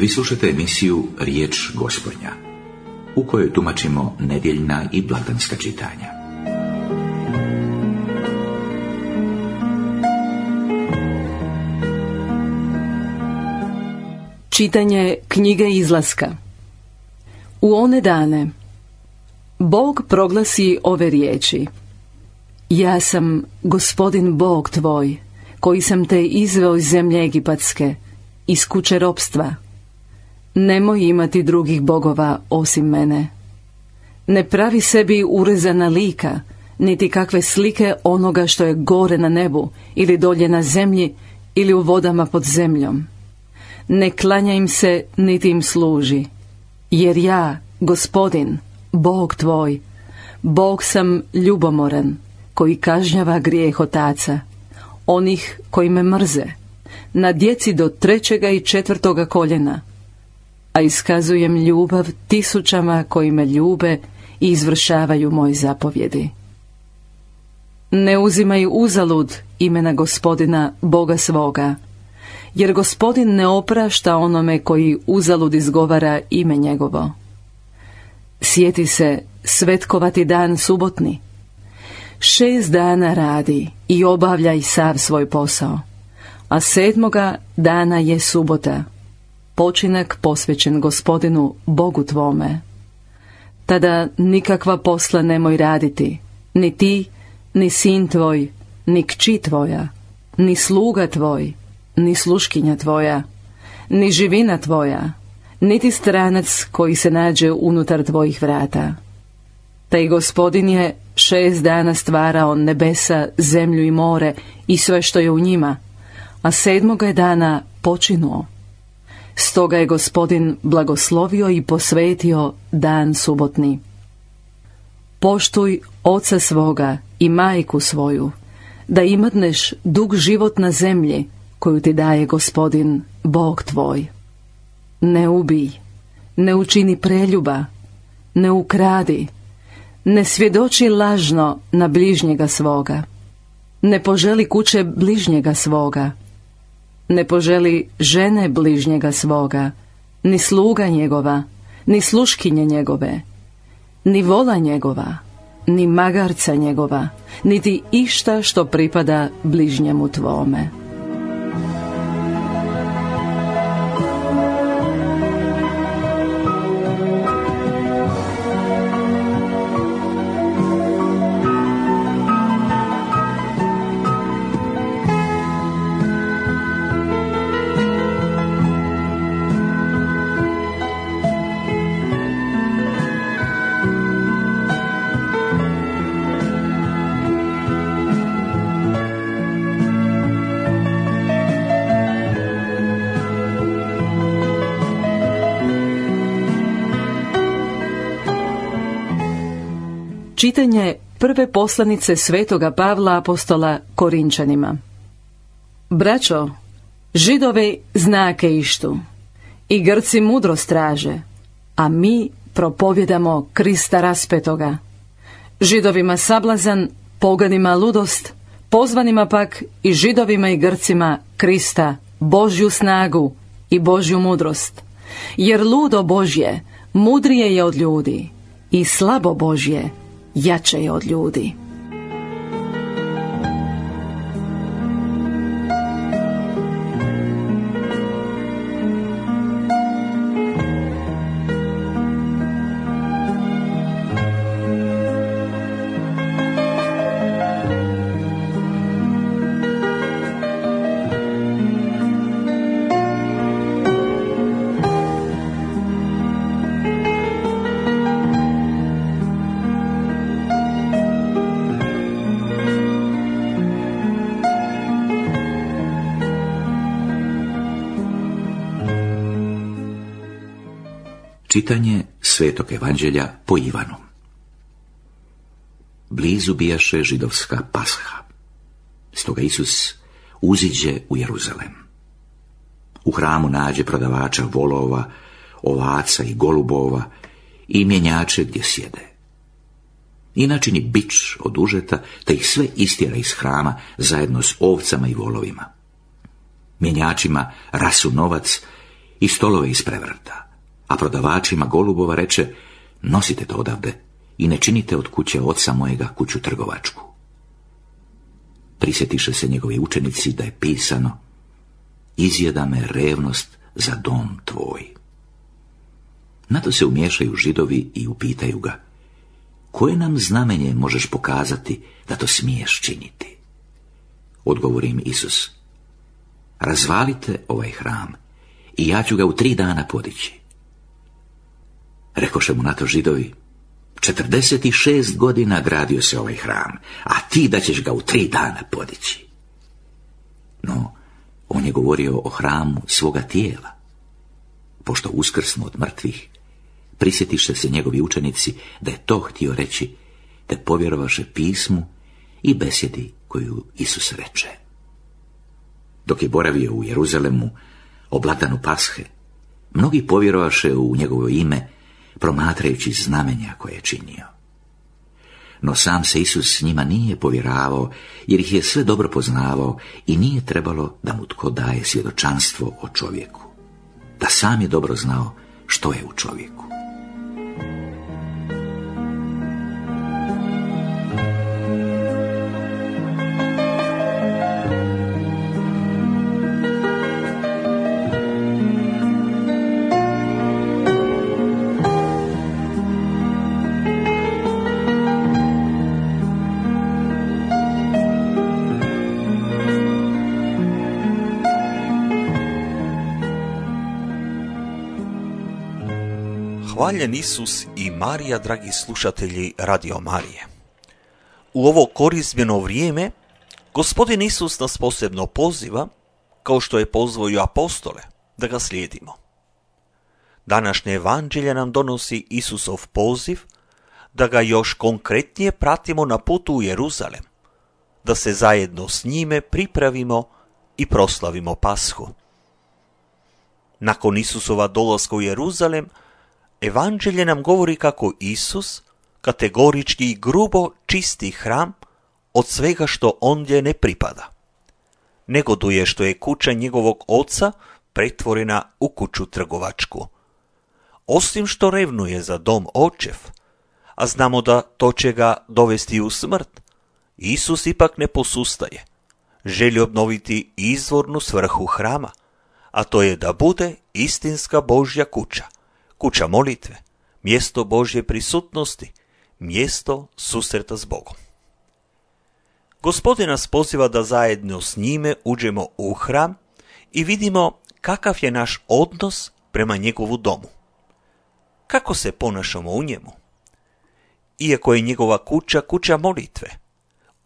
Vi slušate emisiju Riječ Gospodnja, u kojoj tumačimo nedjeljna i blagdanska čitanja. Čitanje knjige Izlaska. U one dane Bog proglasi ove riječi: Ja sam Gospodin Bog tvoj, koji sam te izveo iz zemlje Egipatske, iz kuće ropstva. Nemoj imati drugih bogova osim mene. Ne pravi sebi urezana lika, niti kakve slike onoga što je gore na nebu, ili dolje na zemlji, ili u vodama pod zemljom. Ne klanja im se, niti im služi, jer ja, Gospodin, Bog tvoj, Bog sam ljubomoran, koji kažnjava grijeh otaca, onih koji me mrze, na djeci do 3. i 4. koljena, a iskazujem ljubav tisućama koji me ljube i izvršavaju moje zapovjedi. Ne uzimaj uzalud imena Gospodina, Boga svoga, jer Gospodin ne oprašta onome koji uzalud izgovara ime njegovo. Sjeti se svetkovati dan subotni. 6 dana radi i obavljaj sav svoj posao, a 7. dana je subota, počinak posvećen Gospodinu Bogu tvome. Tada nikakva posla nemoj raditi, ni ti, ni sin tvoj, ni kći tvoja, ni sluga tvoj, ni sluškinja tvoja, ni živina tvoja, niti stranac koji se nađe unutar tvojih vrata. Taj Gospodin je 6 dana stvarao nebesa, zemlju i more i sve što je u njima, a 7. je dana počinuo. Stoga je Gospodin blagoslovio i posvetio dan subotni. Poštuj oca svoga i majku svoju, da imatneš dug život na zemlji koju ti daje Gospodin, Bog tvoj. Ne ubij, ne učini preljuba, ne ukradi, ne svjedoči lažno na bližnjega svoga, ne poželi kuće bližnjega svoga, ne poželi žene bližnjega svoga, ni sluga njegova, ni sluškinje njegove, ni vola njegova, ni magarca njegova, niti išta što pripada bližnjemu tvome. Čitanje prve poslanice svetoga Pavla apostola Korinčanima. Braćo, Židovi znake ištu i Grci mudrost traže, a mi propovjedamo Krista raspetoga. Židovima sablazan, poganima ludost, pozvanima pak i Židovima i Grcima Krista, Božju snagu i Božju mudrost. Jer ludo Božje mudrije je od ljudi i slabo Božje jače je od ljudi. Čitanje Svetog evanđelja po Ivanu. Blizu bijaše židovska pasha. Stoga Isus uziđe u Jeruzalem. U hramu nađe prodavača volova, ovaca i golubova i mjenjače gdje sjede. I načini bič od užeta, te ih sve istjera iz hrama zajedno s ovcama i volovima. Mjenjačima rasu novac i stolove isprevrta, a prodavačima golubova reče: nosite to odavde i ne činite od kuće oca mojega kuću trgovačku. Prisjetiše se njegovi učenici da je pisano: izjeda me revnost za dom tvoj. Na to se umiješaju Židovi i upitaju ga: koje nam znamenje možeš pokazati da to smiješ činiti? Odgovori im Isus: razvalite ovaj hram i ja ću ga u 3 dana podići. Rekoše mu na to Židovi: 46 godina gradio se ovaj hram, a ti da ćeš ga u 3 dana podići. No, on je govorio o hramu svoga tijela. Pošto uskrsnu od mrtvih, prisjetiše se njegovi učenici da je to htio reći, te povjerovaše pismu i besjedi koju Isus reče. Dok je boravio u Jeruzalemu o blagdanu Pashe, mnogi povjerovaše u njegovo ime, promatrajući znamenja koje je činio. No sam se Isus s njima nije povjeravao, jer ih je sve dobro poznavao i nije trebalo da mu tko daje svjedočanstvo o čovjeku, da sam je dobro znao što je u čovjeku. Hvaljen Isus i Marija, dragi slušatelji Radio Marije. U ovo korizmeno vrijeme Gospodin Isus nas posebno poziva, kao što je pozvao i apostole, da ga slijedimo. Današnje evanđelje nam donosi Isusov poziv da ga još konkretnije pratimo na putu u Jeruzalem, da se zajedno s njime pripravimo i proslavimo Pashu. Nakon Isusova dolaska u Jeruzalem, evanđelje nam govori kako Isus kategorički i grubo čisti hram od svega što ondje ne pripada. Negoduje što je kuća njegovog oca pretvorena u kuću trgovačku. Osim što revnuje za dom očev, a znamo da to će ga dovesti u smrt, Isus ipak ne posustaje. Želi obnoviti izvornu svrhu hrama, a to je da bude istinska Božja kuća, kuća molitve, mjesto Božje prisutnosti, mjesto susreta s Bogom. Gospodin nas poziva da zajedno s njime uđemo u hram i vidimo kakav je naš odnos prema njegovu domu. Kako se ponašamo u njemu? Iako je njegova kuća kuća molitve,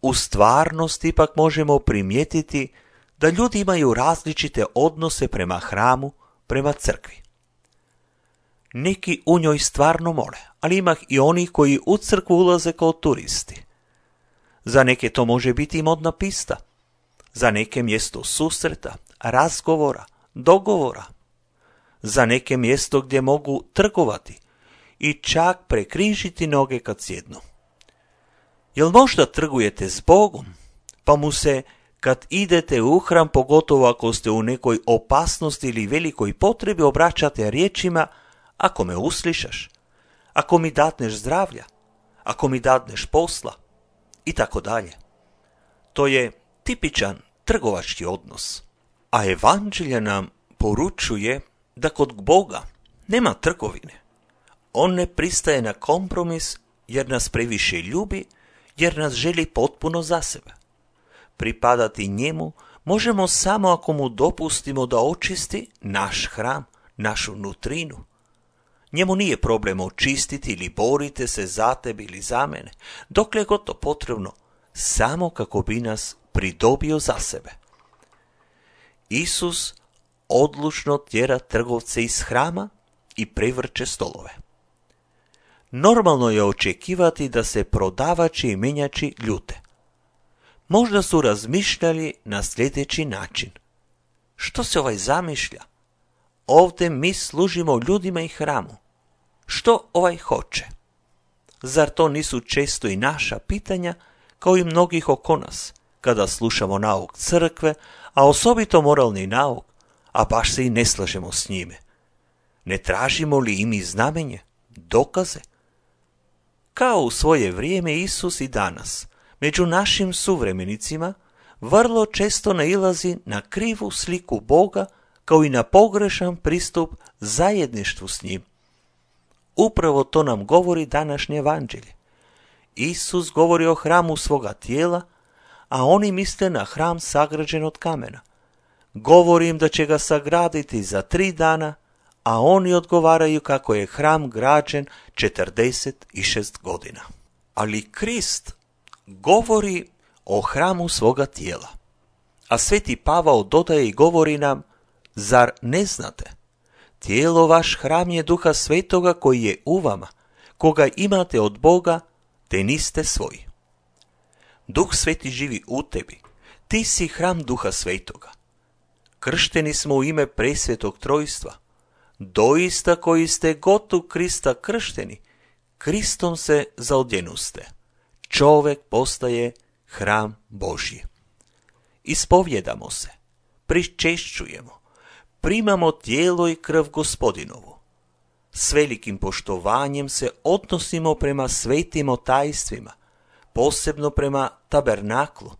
u stvarnosti ipak možemo primijetiti da ljudi imaju različite odnose prema hramu, prema crkvi. Neki u njoj stvarno mole, ali ima i onih koji u crkvu ulaze kao turisti. Za neke to može biti modna pista, za neke mjesto susreta, razgovora, dogovora, za neke mjesto gdje mogu trgovati i čak prekrižiti noge kad sjednu. Jel možda trgujete s Bogom, pa mu se kad idete u hram, pogotovo ako ste u nekoj opasnosti ili velikoj potrebi, obraćate riječima: ako me uslišaš, ako mi dadneš zdravlja, ako mi dadneš posla, i tako dalje. To je tipičan trgovački odnos. A evanđelje nam poručuje da kod Boga nema trgovine. On ne pristaje na kompromis jer nas previše ljubi, jer nas želi potpuno za sebe. Pripadati njemu možemo samo ako mu dopustimo da očisti naš hram, našu nutrinu. Njemu nije problem očistiti ili borite se za tebe ili za mene, dokle god to potrebno, samo kako bi nas pridobio za sebe. Isus odlučno tjera trgovce iz hrama i prevrće stolove. Normalno je očekivati da se prodavači i menjači ljute. Možda su razmišljali na sljedeći način: što se ovaj zamišlja? Ovdje mi služimo ljudima i hramu. Što ovaj hoće? Zar to nisu često i naša pitanja, kao i mnogih oko nas, kada slušamo nauk crkve, a osobito moralni nauk, a baš se i ne slažemo s njime, Ne tražimo li i mi znamenje, dokaze? Kao u svoje vrijeme Isus i danas, među našim suvremenicima, vrlo često nailazi na krivu sliku Boga, kao i na pogrešan pristup zajedništvu s njim. Upravo to nam govori današnje evanđelje. Isus govori o hramu svoga tijela, a oni misle na hram sagrađen od kamena. Govori im da će ga sagraditi za 3 dana, a oni odgovaraju kako je hram građen 46 godina. Ali Krist govori o hramu svoga tijela. A sveti Pavao dodaje i govori nam, zar ne znate? Tijelo vaš hram je Duha Svetoga koji je u vama, koga imate od Boga, te niste svoji. Duh Sveti živi u tebi, ti si hram Duha Svetoga. Kršteni smo u ime presvetog trojstva. Doista koji ste god u Krista kršteni, Kristom se zaodjenuste. Čovjek postaje hram Božji. Ispovjedamo se, pričešćujemo, primamo tijelo i krv Gospodinovu. S velikim poštovanjem se odnosimo prema svetim tajstvima, posebno prema tabernaklu,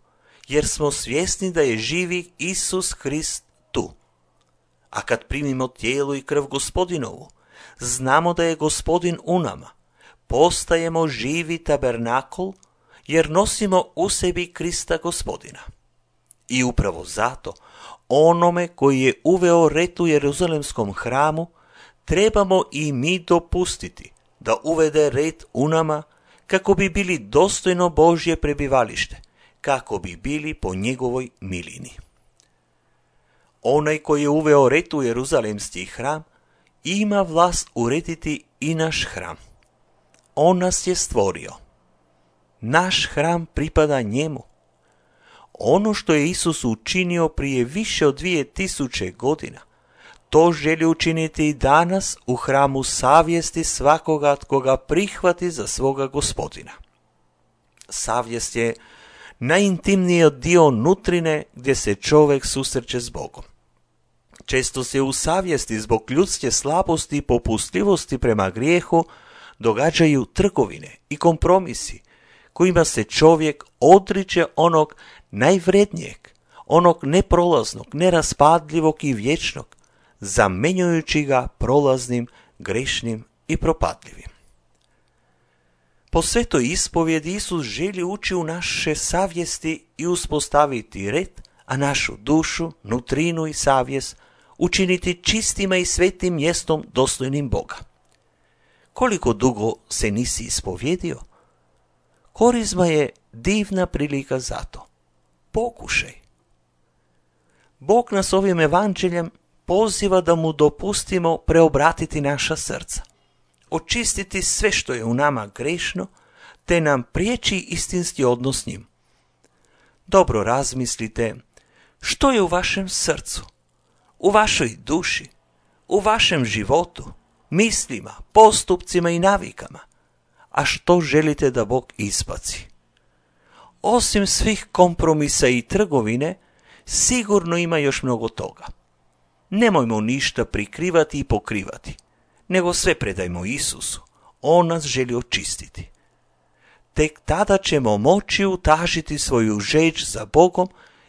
jer smo svjesni da je živi Isus Krist tu. A kad primimo tijelo i krv Gospodinovu, znamo da je Gospodin u nama, postajemo živi tabernakl, jer nosimo u sebi Krista Gospodina. I upravo zato, onome koji je uveo red u Jeruzalemskom hramu, trebamo i mi dopustiti da uvede red u nama, kako bi bili dostojno Božje prebivalište, kako bi bili po njegovoj milini. Onaj koji je uveo red u Jeruzalemski hram, ima vlast urediti i naš hram. On nas je stvorio. Naš hram pripada njemu. Ono što je Isus učinio prije više od 2000 godina, to želi učiniti i danas u hramu savjesti svakoga tko ga prihvati za svoga Gospodina. Savjest je najintimniji dio nutrine gdje se čovjek susreće s Bogom. Često se u savjesti zbog ljudske slabosti i popustljivosti prema grijehu događaju trgovine i kompromisi kojima se čovjek odriče onog najvrednijeg, onog neprolaznog, neraspadljivog i vječnog, zamjenjujući ga prolaznim, grešnim i propadljivim. Po svetoj ispovjedi Isus želi ući u naše savjesti i uspostaviti red, a našu dušu, nutrinu i savjest učiniti čistima i svetim mjestom dostojnim Boga. Koliko dugo se nisi ispovjedio? Korizma je divna prilika za to. Pokušaj. Bog nas ovim evanđeljem poziva da mu dopustimo preobratiti naša srca, očistiti sve što je u nama grešno, te nam priječi istinski odnos s njim. Dobro razmislite što je u vašem srcu, u vašoj duši, u vašem životu, mislima, postupcima i navikama, a što želite da Bog ispaci. Osim svih kompromisa i trgovine, sigurno ima još mnogo toga. Nemojmo ništa prikrivati i pokrivati, nego sve predajmo Isusu. On nas želi očistiti. Tek tada ćemo moći utažiti svoju žeđ za Bogom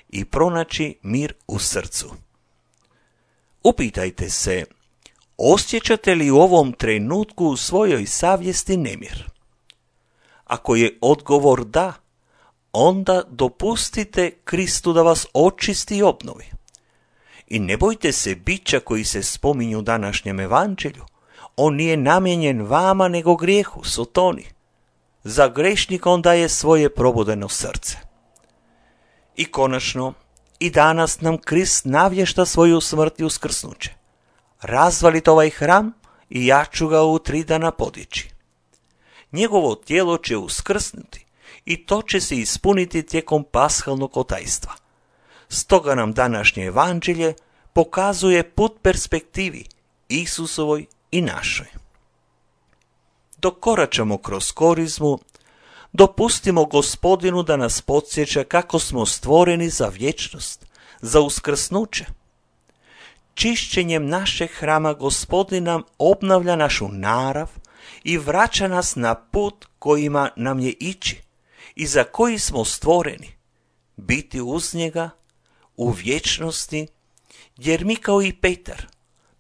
i pronaći mir u srcu. Upitajte se, osjećate li u ovom trenutku u svojoj savjesti nemir? Ako je odgovor da, onda dopustite Kristu da vas očisti i obnovi. I ne bojte se bića koji se spominju u današnjem evanđelju. On nije namijenjen vama nego grijehu, Sotoni. Za grešnika on daje svoje probudeno srce. I konačno, i danas nam Krist navješta svoju smrt i uskrsnuće. Razvalite ovaj hram i ja ću ga u 3 dana podići. Njegovo tijelo će uskrsnuti i to će se ispuniti tijekom pashalnog otajstva. Stoga nam današnje evanđelje pokazuje put perspektivi Isusovoj i našoj. Dok koračamo kroz korizmu, dopustimo Gospodinu da nas podsjeća kako smo stvoreni za vječnost, za uskrsnuće. čišćenjem našeg hrama Gospodin nam obnavlja našu narav i vraća nas na put kojima nam je ići i za koji smo stvoreni, biti uz njega u vječnosti, jer mi kao i Petar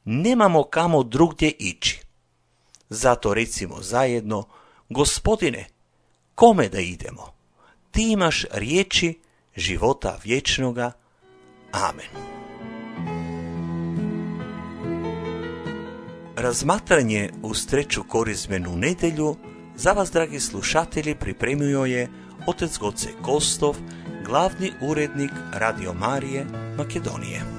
nemamo kamo drugdje ići. Zato recimo zajedno: Gospodine, kome da idemo? Ti imaš riječi života vječnoga. Amen. Razmatranje uz treću korizmenu nedjelju za vas, dragi slušatelji, pripremio je otac Goce Kostov, glavni urednik Radio Marije Makedonije.